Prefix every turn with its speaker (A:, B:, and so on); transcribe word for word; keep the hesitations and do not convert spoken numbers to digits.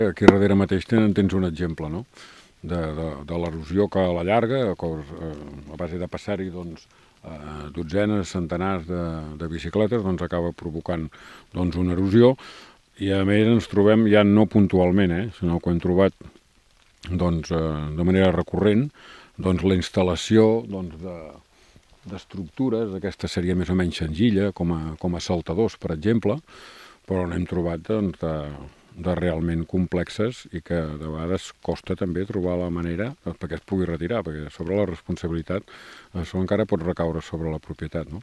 A: Aquí darrere mateix tens, tens un exemple, no? de, de, de l'erosió que a la llarga, a, a base de passar-hi doncs, eh, dotzenes, centenars de, de bicicletes, doncs acaba provocant doncs, una erosió, i a més ens trobem ja no puntualment, eh, sinó que ho hem trobat doncs, eh, de manera recurrent, doncs, la instal·lació doncs, de, d'estructures, aquesta seria més o menys senzilla, com a, com a saltadors, per exemple, però n'hem trobat doncs, de, de realment complexes i que de vegades costa també trobar la manera perquè es pugui retirar, perquè sobre la responsabilitat això encara pot recaure sobre la propietat, no?